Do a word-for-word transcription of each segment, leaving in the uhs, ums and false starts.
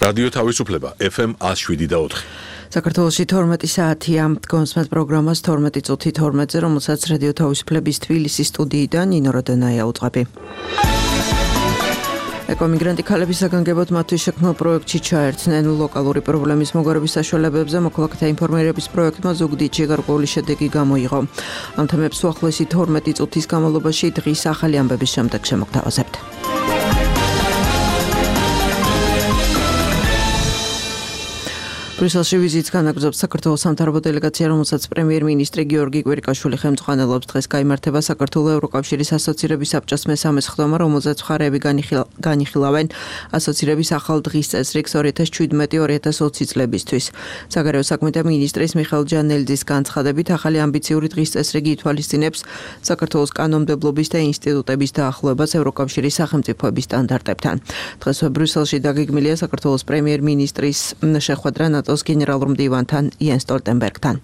რადიო თავისუფლება ეფ ემ ათს შვიდი და ოთხი. საქართველოში თორმეტი საათია გონსმეთ პროგრამას თორმეტი წუთი თორმეტზე, რომელსაც რადიო თავისუფლების თბილისის სტუდიიდან ნინო როდონაია უწყები. ეკომიგრანტი ქალების საგანგებოდ მათთვის შექმნილ პროექტში ჩაერთნენ ლოკალური პრობლემის მოგვარების საშუალებებზე მოქალაქეთა ინფორმირების პროექტმა ზუგდიდში გარკვეული შედეგი გამოიღო. ამ თემებს უახლოესი თორმეტი წუთის განმავლობაში დღის ახალი ამბების შემდეგ შემოგთავაზებთ. ბრიუსელში ვიზიტს განაგრძობს საქართველოს სამთავრობო დელეგაცია, რომელსაც პრემიერ-მინისტრი გიორგი კვირიკაშვილი ხელმძღვანელობს. დღეს გაიმართება საქართველოს ევროკავშირის ასოცირების საბჭოს მესამე სხდომა, რომელზეც მხარეები განიხილავენ ასოცირების ახალ დღის წესრიგს ორი ათას შვიდმეტი ორი ათას ოცი წლებისთვის. საგარეო საქმეთა მინისტრის მიხეილ ჯანელიძის განცხადებით, ახალი ამბიციური დღის წესრიგი ითვალისწინებს საქართველოს კანონმდებლობის და ინსტიტუტების დაახლოებას ევროკავშირის სახელმწიფოების სტანდარტებთან. დღესვე ბრიუსელში დაგეგმილია საქართველოს პრემიერ-მინისტრის შეხვედრა ნატოს გენერალურ მდივანთან იენ სტოლტენბერგთან.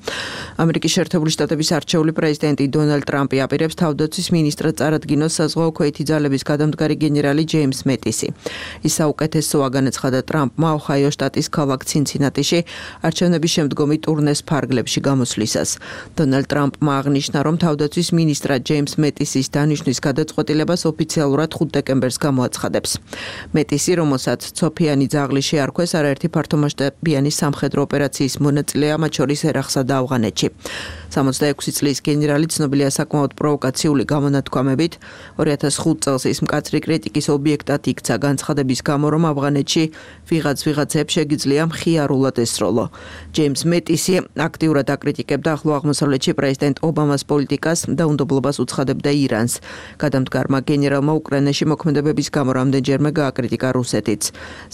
ამერიკის შეერთებული შტატების არჩეული პრეზიდენტი დონალდ ტრამპი აპირებს თავდაცვის მინისტრად წარადგინოს საზღვაო ქვეითი ძალების გადამდგარი გენერალი ჯეიმს მეტისი. ის საუკეთესოა, განაცხადა ტრამპმა ოჰაიო შტატის ქალაქ ცინცინატიში არჩევნების შემდგომი ტურნეს ფარგლებში გამოსვლისას. დონალდ ტრამპმა აღნიშნა, რომ თავდაცვის მინისტრად ჯეიმს მეტისის დანიშვნის გადაწყვეტილებას ოფიციალურად ხუთი დეკემბერს გამოაცხადებს. მეტისი, რომელსაც ცოფიანი ძაღლი შეარქვეს, არაერთი ფართომასშტაბიანი სამხედრო ოპერაციის მონაწილეა, მათ შორის ერაყსა და ავღანეთში. სამოცდაექვსი წლის გენერალი ცნობილია საკმაოდ პროვოკაციული გამონათქვამებით. ორი ათას ხუთი წელს ის მკაცრი კრიტიკის ობიექტად იქცა განცხადების გამო, რომ ავღანეთში ვიღაც ვიღაცებს შეგიძლია მხიარულად ესროლო. ჯეიმს მეტისი აქტიურად აკრიტიკებდა ახლო აღმოსავლეთში პრეზიდენტ ობამას პოლიტიკას და უნდობლობას უცხადებდა ირანს. გადამდგარმა გენერალმა უკრაინაში მოქმედებების გამო რამდენჯერმე გააკრიტიკა რუსეთიც.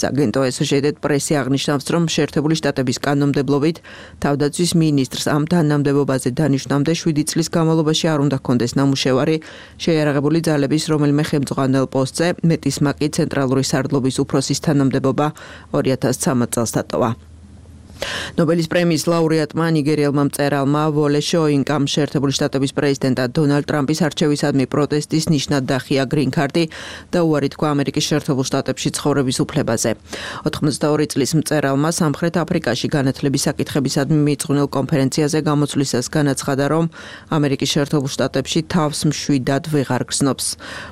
სააგენტო ასოციეიტედ პრესი აღნიშნავს, რომ შეერთებული შტატების კანონმდებლობით თავდაცვის მინისტრს ამ თანამდებობაზე დანიშვნამდე შვიდი წლის განმავლობაში არ უნდა ჰქონდეს ნამუშევარი შეიარაღებული ძალების რომელიმე ხელმძღვანელ პოსტზე. მეტისმა კი ცენტრალური სარდლობის უფროსის თანამდებობა ორი ათას ცხრამეტ წელს დატოვა. ნობელის პრემიის ლაურეატმა ნიგერიელმა მწერალმა ვოლე შოინკამ შეერთებული შტატების პრეზიდენტად დონალდ ტრამპის არჩევისადმი პროტესტის ნიშნად დახია გრინ კარტი და უარი თქვა ამერიკის შეერთებულ შტატებში ცხოვრების უფლებაზე. ოთხმოცდაორი წლის მწერალმა სამხრეთ აფრიკაში განათლების საკითხებისადმი მიწყვნილ კონფერენციაზე გამოცვლისას განაცხადა, რომ ამერიკის შეერთებულ შტატებში თავს მშვიდად ვეღარ გრძნობს.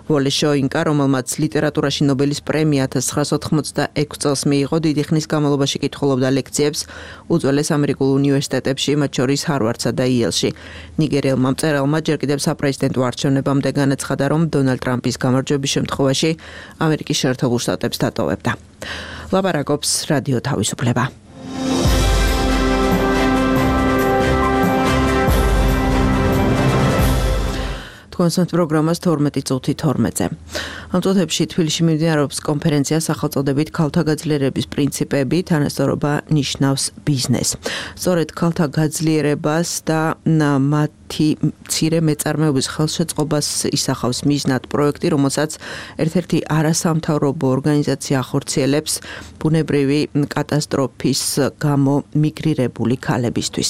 ვოლე შოინკა, რომელმაც ლიტერატურაში ნობელის პრემია ათას ცხრაასა ოთხმოცდაექვსი წელს მიიღო, დიდი ხნის განმავლობაში კითხულობდა ლექციებს უძველეს ამერიკულ უნივერსიტეტებში, მათ შორის ჰარვარდსა და იელში. ნიგერიელმა მწერალმა ჯერ კიდევ საპრეზიდენტო არჩევნებამდე განაცხადა, რომ დონალდ ტრამპის გამარჯვების შემთხვევაში ამერიკის შეერთებულ შტატებს დატოვებდა. ლაპარაკობს რადიო თავისუფლება. გონსმეთ პროგრამას თორმეტი წუთი თორმეტზე. ამ წუთებში თბილისში მიმდინარეობს კონფერენცია სახელწოდებით ქალთა გაძლიერების პრინციპები, თანასწორობა ნიშნავს ბიზნესს. სწორედ ქალთა გაძლიერებას და მათი მცირე მეწარმეობის ხელშეწყობას ისახავს მიზნად პროექტი, რომელსაც ერთ-ერთი არასამთავრობო ორგანიზაცია ახორციელებს ბუნებრივი კატასტროფის გამო მიგრირებული ქალებისთვის.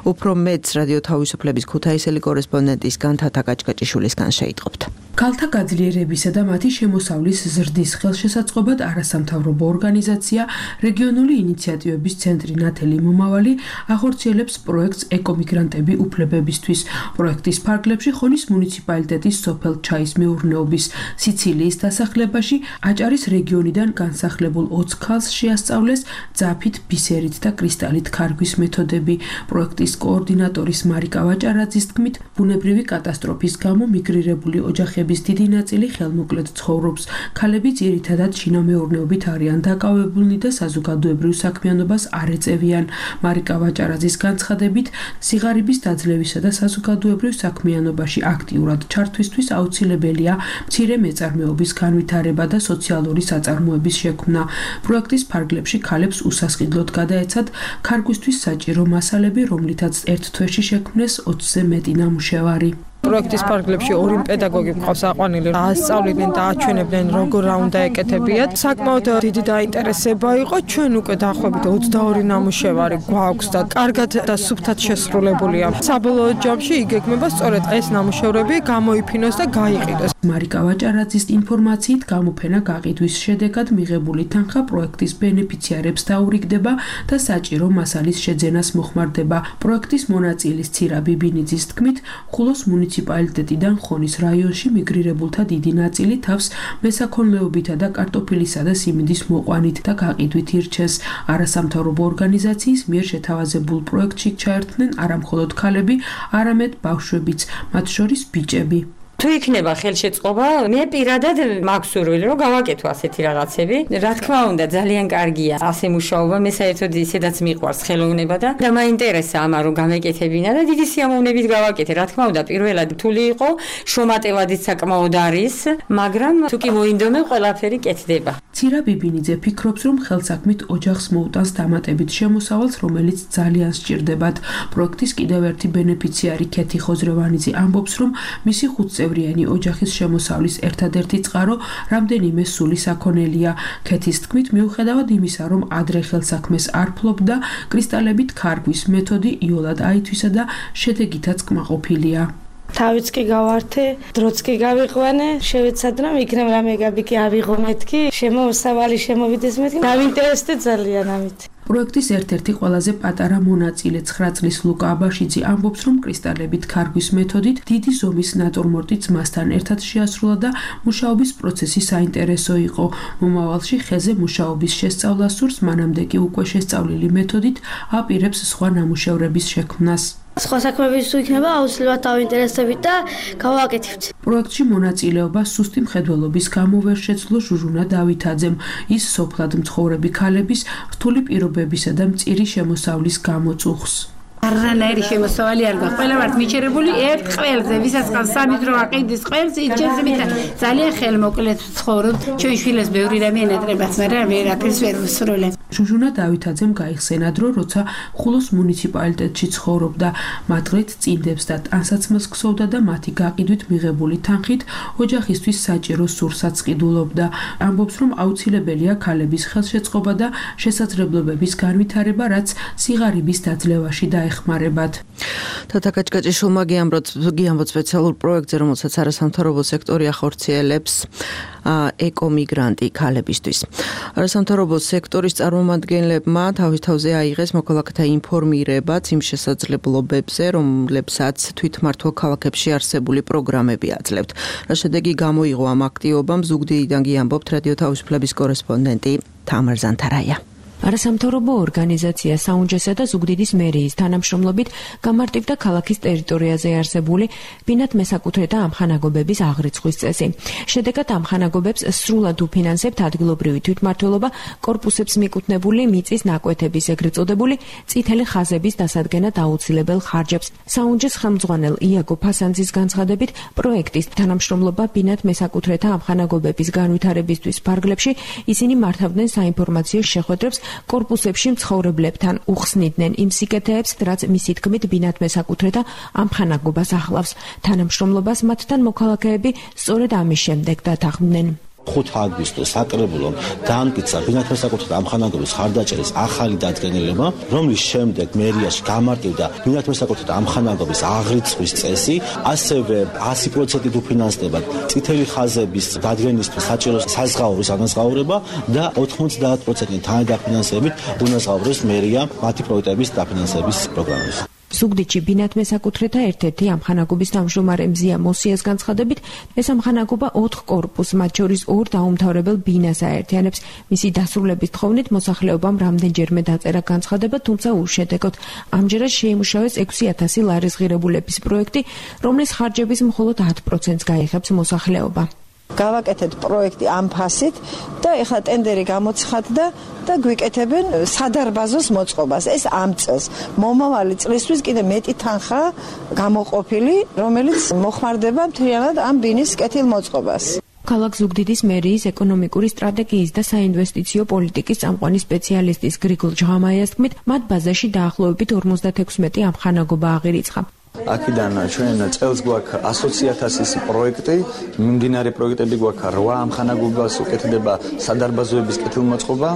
უფრო მეც რადიო თავისუფლების ქუთაისელი კორესპონდენტისგან თათა გაჭკაჭიშვილისგან შეიტყობთ. ქალთა გაძლიერებისა და მათი შემოსავლის ზრდის ხელშესაწყობად არასამთავრობო ორგანიზაცია რეგიონული ინიციატივების ცენტრი ნათელი მომავალი ახორციელებს პროექტს ეკომიგრანტები უფლებებისთვის. პროექტის ფარგლებში ხონის მუნიციპალიტეტის სოფელ ჩაის მეურნეობის სიცილიის დასახლებაში აჭარის რეგიონიდან განსახლებულ ოცი ქალს შეასწავლეს ძაფით, ბისერით და კრისტალით ქარგვის მეთოდები. პროექტის კოორდინატორის მარიკა ვაჭარაძის თქმით, ბუნებრივი კატასტროფის გამო მიგრირებული ოჯახების დიდი ნაწილი ხელმოკლედ ცხოვრობს. ქალები ძირითადად შინამეურნეობით არიან დაკავებულნი და საზოგადოებრივ საქმიანობას არ ეწევიან. მარიკა ვაჭარაძის განცხადებით, სიღარიბის დაძლევისა და საზოგადოებრივ საქმიანობაში აქტიურად ჩართვისთვის აუცილებელია მცირე მეწარმეობის განვითარება და სოციალური საწარმოების შექმნა. პროექტის ფარგლებში ქალებს უსასყიდლოდ გადაეცათ ქარგვისთვის საჭირო მასალები, რომლითაც ერთ თვეში შექმნეს ოცზე მეტი ნამუშევარი. პროექტის ფარგლებში ორი პედაგოგი მყავს აყვანილი, ასწავლიდნენ და აჩვენებდნენ როგორ უნდა ეკეთებიათ. საკმაოდ დიდი დაინტერესება იყო. ჩვენ უკვე დაახლოებით ოცდაორი ნამუშევარი გვაქვს და კარგად და სუფთად შესრულებულია. საბოლოო ჯამში იგეგმება სწორედ ეს ნამუშევრები გამოიფინოს და გაიყიდოს. მარიკა ვაჭარაძის ინფორმაციით გამოფენა გაყიდვის შედეგად მიღებული თანხა პროექტის ბენეფიციარებს დაურიგდება და საჭირო მასალის შეძენას მოხმარდება. პროექტის მონაწილის ცირა ბიბინიძის თქმით, ხულოს მუნიციპალიტეტიდან ხონის რაიონში მიგრირებულთა დიდი ნაწილი თავს მესაქონლეობითა და კარტოფილისა და სიმინდის მოყვანით და გაყიდვით ირჩეს. არასამთავრობო ორგანიზაციის მიერ შეთავაზებულ პროექტში ჩაერთნენ არა მხოლოდ ქალები, არამედ ბავშვებიც, მათ შორის ბიჭები. თუ იქნება ხელშეწყობა, მე პირადად მაქვს სურვილი, რომ გავაკეთო ასეთი რაღაცები. რა თქმა უნდა, ძალიან კარგია ასე მუშაობა, მე საერთოდ ისედაც მიყვარს ხელოვნება და და მაინტერესა ამა რომ გამეკეთებინა და დიდი სიამოვნებით გავაკეთე. რა თქმა უნდა, პირველად რთული იყო, შრომატევადიც საკმაოდ არის, მაგრამ თუ კი მოინდომე, ყველაფერი კეთდება. ცირა ბიბინიძე ფიქრობს, რომ ხელსაქმით ოჯახს მოუტანს დამატებით შემოსავალს, რომელიც ძალიან სჭირდებათ. პროექტის კიდევ ერთი ბენეფიციარი ქეთი ხოზრევანიძე ამბობს, რომ მისი ხუთწევრიანი ოჯახის შემოსავლის ერთადერთი წყარო რამდენიმე სული საქონელია. ქეთის თქმით, მიუხედავად იმისა, რომ ადრე ხელსაქმეს არ ფლობდა, კრისტალებით ქარგვის მეთოდი იოლად აითვისა და შედეგითაც კმაყოფილია. თავიც კი გავართე, დროც კი გავიყვანე, შევეცადე რომ იქნებ რამე გაბიკი ავიღო მეთქი, შემოსავალი შემოვიდეს მეთქი, დავინტერესდე ძალიან ამით. პროექტის ერთ-ერთი ყველაზე პატარა მონაწილე ცხრა წლის ლუკა აბაშიძე ამბობს, რომ კრისტალებით ქარგვის მეთოდით დიდი ზომის ნატურმორტი ძმასთან ერთად შეასრულა და მუშაობის პროცესი საინტერესო იყო. მომავალში ხეზე მუშაობის შესწავლა სურს, მანამდე კი უკვე შესწავლილი მეთოდით აპირებს სხვა ნამუშევრების შექმნას. სხვა საქმეების თუ იქნება, აუცილებლად დავინტერესდებით და გავაკეთებთ. პროექტში მონაწილეობა სუსტი მხედველობის გამო ვერ შეძლო ჟუჟუნა დავითაძემ. ის სოფლად მცხოვრები ქალების რთული პირობებისა და მწირი შემოსავლის გამო წუხს. არანაირი შემოსავალი არ გაქვს. ყველა ვართ მიჩერებული ერთ ყველზე, ვისაც ყავს სამი დრო აყიდის ყველს, იჩენს მით ძალიან ხელმოკლედ ცხოვრობთ. ჩვენ შვილებს ბევრი რამე ენატრებათ, მაგრამ ვერაფერს ვერ ვსრულებ. ჟუჟუნა დავითაძემ გაიხსენა დრო, როცა ხულოს მუნიციპალიტეტში ცხოვრობდა. მათღრით წინდებს და ტანსაცმელს ქსოვდა და მათი გაყიდვით მიღებული თანხით ოჯახისთვის საჭირო სურსაც ყიდულობდა. ამბობს, რომ აუცილებელია ქალების ხელშეწყობა და შესაძლებლობების განვითარება, რაც სიღარიბის დაძლევაში დაეხმარებათ. თათა კაჭკაჭიშვილმა გიამბოთ სპეციალურ პროექტზე, რომელსაც არასამთავრობო სექტორი ახორციელებს ეკომიგრანტი ქალებისთვის. არასამთავრობო სექტორის წარმომადგენლებმა თავის თავზე აიღეს მოქალაქეთა ინფორმირებაც იმ შესაძლებლობებზე, რომლებსაც თვითმმართველ ქალაქებში არსებული პროგრამები აძლევთ. რა შედეგი გამოიღო ამ აქტივობამ, ზუგდიდიდან გიამბობთ რადიო თავისუფლების კორესპონდენტი თამარ ზანთარაია. არასამთავრობო ორგანიზაცია საუნჯესა და ზუგდიდის მერიის თანამშრომლობით გამარტივდა ქალაქის ტერიტორიაზე არსებული ბინათ მესაკუთრეთა ამხანაგობების აღრიცხვის წესი. შედეგად ამხანაგობებს სრულად უფინანსებთ ადგილობრივი თვითმმართველობა კორპუსებს მიკუთვნებული მიწის ნაკვეთების ეგრეთ წოდებული წითელი ხაზების დასადგენად აუცილებელ ხარჯებს. საუნჯეს ხელმძღვანელ იაგო ფასანძის განცხადებით, პროექტის თანამშრომლობა ბინათ მესაკუთრეთა ამხანაგობების განვითარებისთვის ფარგლებში ისინი მართავდნენ საინფორმაციო შეხვედრებს კორპუსებში მცხოვრებლებთან, უხსნიდნენ იმ სიკეთეებს, რაც მისი თქმით ბინათ მესაკუთრეთა ამხანაგობას ახლავს. თანამშრომლობას მათთან მოქალაქეები სწორედ ამის შემდეგ დათანხმდნენ. ხუთი აგვისტოს საკრებულომ დაამტკიცა ბინათ მესაკუთრეთა ამხანაგობის ხარდაჭერის ახალი დადგენილება, რომლის შემდეგ მერიაში გამარტივდა ბინათ მესაკუთრეთა ამხანაგობის აღრიცხვის წესი, ასევე ასი პროცენტით უფინანსდებათ წითელი ხაზების დადგენისთვის საჭირო საზღაურის ანაზღაურება და ოთხმოცდაათ პროცენტით თანადაფინანსებით უნაზღაუროს მერია მათი პროექტების დაფინანსების პროგრამებს. ზუგდიდში ბინათ მესაკუთრეთა ერთ-ერთი ამხანაგობის თავმჯდომარე მზია მოსიას განცხადებით, ეს ამხანაგობა ოთხ კორპუსს, მათ შორის ორ დაუმთავრებელ ბინას აერთიანებს. მისი დასრულების თხოვნით მოსახლეობამ რამდენჯერმე დაწერა განცხადება, თუმცა უშედეგოდ. ამჯერად შეიმუშავეს ექვსი ათასი ლარის ღირებულების პროექტი, რომლის ხარჯების მხოლოდ ათ პროცენტს გაიღებს მოსახლეობა. გავაკეთეთ პროექტი ამ ფასით და ეხლა ტენდერი გამოცხადდა და გვიკეთებენ სადარბაზოს მოწყობას. ეს ამ წელს მომავალი წლისთვის კიდე მეტი თანხა გამოყოფილი, რომელიც მოხმარდება მთლიანად ამ ბინის კეთილ მოწყობას. ქალაქ ზუგდიდის მერიის ეკონომიკური სტრატეგიის და საინვესტიციო პოლიტიკის წამყვანი სპეციალისტის გრიგოლ ჯღამაიას თქმით, მათ ბაზაში დაახლოებით ორმოცდათექვსმეტი ამხანაგობა აღირიცხა. აქედან ჩვენ წელს გვაქვს ასოცი ათასის პროექტი, მიმდინარე პროექტები გვაქვს რვა ამხანაგობას უკეთდება სადარბაზოების კეთილმოწყობა.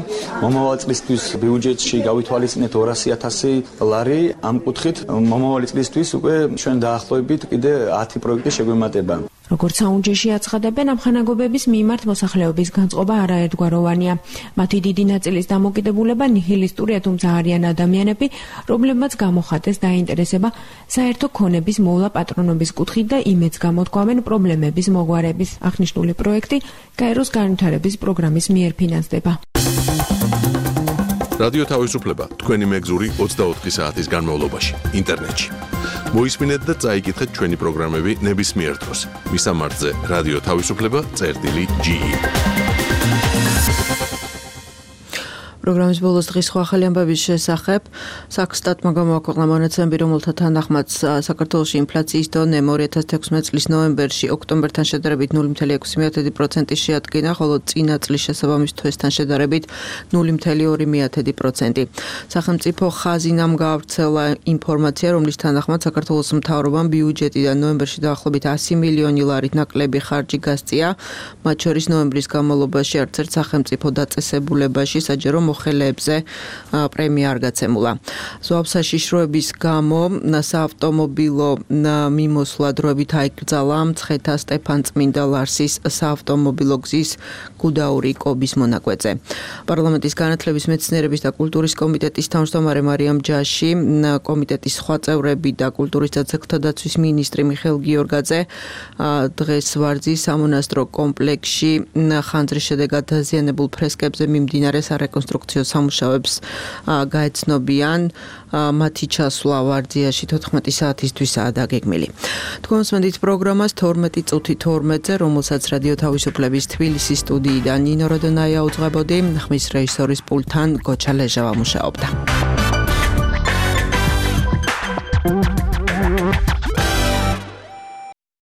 მომავალ წლისთვის ბიუჯეტში გავითვალისწინეთ ორასი ათასი ლარი ამ კუთხით. მომავალი წლისთვის უკვე ჩვენ დაახლოებით კიდე ათი პროექტი შეგვემატება. როგორც საუნჯეში აცხადებენ, ამხანაგობების მიმართ მოსახლეობის განწყობა არაერთგვაროვანია. მათი დიდი ნაწილის დამოკიდებულება ნიჰილისტურია, თუმცა არიან ადამიანები, რომლებმაც გამოხატეს დაინტერესება საერთო ქონების მოვლა პატრონობის კუთხით და იმედს გამოთქვამენ პრობლემების მოგვარების. აღნიშნული პროექტი გაეროს განვითარების პროგრამის მიერ ფინანსდება. რადიო თავისუფლება თქვენი მეგზური ოცდაოთხი საათის განმავლობაში ინტერნეტში. მოისმინეთ და წაიკითხეთ ჩვენი პროგრამები ნებისმიერ დროს. მისამართზე რადიო თავისუფლება წერტილი ჯი. პროგრამის ბოლოს დღის სხვა ახალი ამბების შესახებ საქსტატმა გამოაქვეყნა მონაცემები, რომელთა თანახმად საქართველოში ინფლაციის დონე ორი ათას თექვსმეტ წლის ნოემბერში ოქტომბერთან შედარებით ნული მცირე ექვსი პროცენტი შეადგინა, ხოლო წინა წლის შესაბამის თვესთან შედარებით ნული მცირე ორი პროცენტი. სახელმწიფო ხაზინამ გაავრცელა ინფორმაცია, რომლის თანახმად საქართველოს მთავრობამ ბიუჯეტიდან ნოემბერში დაახლოებით ასი მილიონი ლარით ნაკლები ხარჯი გასწია, მათ შორის ნოემბრის განმავლობაში არც ერთ სახელმწიფო დაწესებულებაში საჯარო მოხელეებზე პრემია არ გაცემულა. ზვავ საშიშროების გამო საავტომობილო მიმოსვლა დროებით აიკრძალა მცხეთა სტეფან-წმინდა ლარსის საავტომობილო გზის გუდაური კობის მონაკვეთზე. პარლამენტის განათლების, მეცნიერების და კულტურის კომიტეტის თავმჯდომარე მარიამ ჯაში, კომიტეტის სხვა წევრები და კულტურის და ძეგლთა დაცვის მინისტრი მიხეილ გიორგაძე დღეს ვარძის სამონასტრო კომპლექსში ხანძრის შედეგად დაზიანებულ ფრესკებზე მიმდინარე სარეკონსტრუქციო სამუშაოებს გაეცნობიან. მათი ჩასვლა ვარძიაში თოთხმეტი საათისთვისაა დაგეგმილი. თქვენ მსმენთ პროგრამას თორმეტი წუთი თორმეტზე, რომელსაც რადიო თავისუფლების თბილისის სტუდიიდან ნინო როდონაია უძღვებოდი, ხმის რეჟისორის პულტთან გოჩა ლეჟავა მუშაობდა.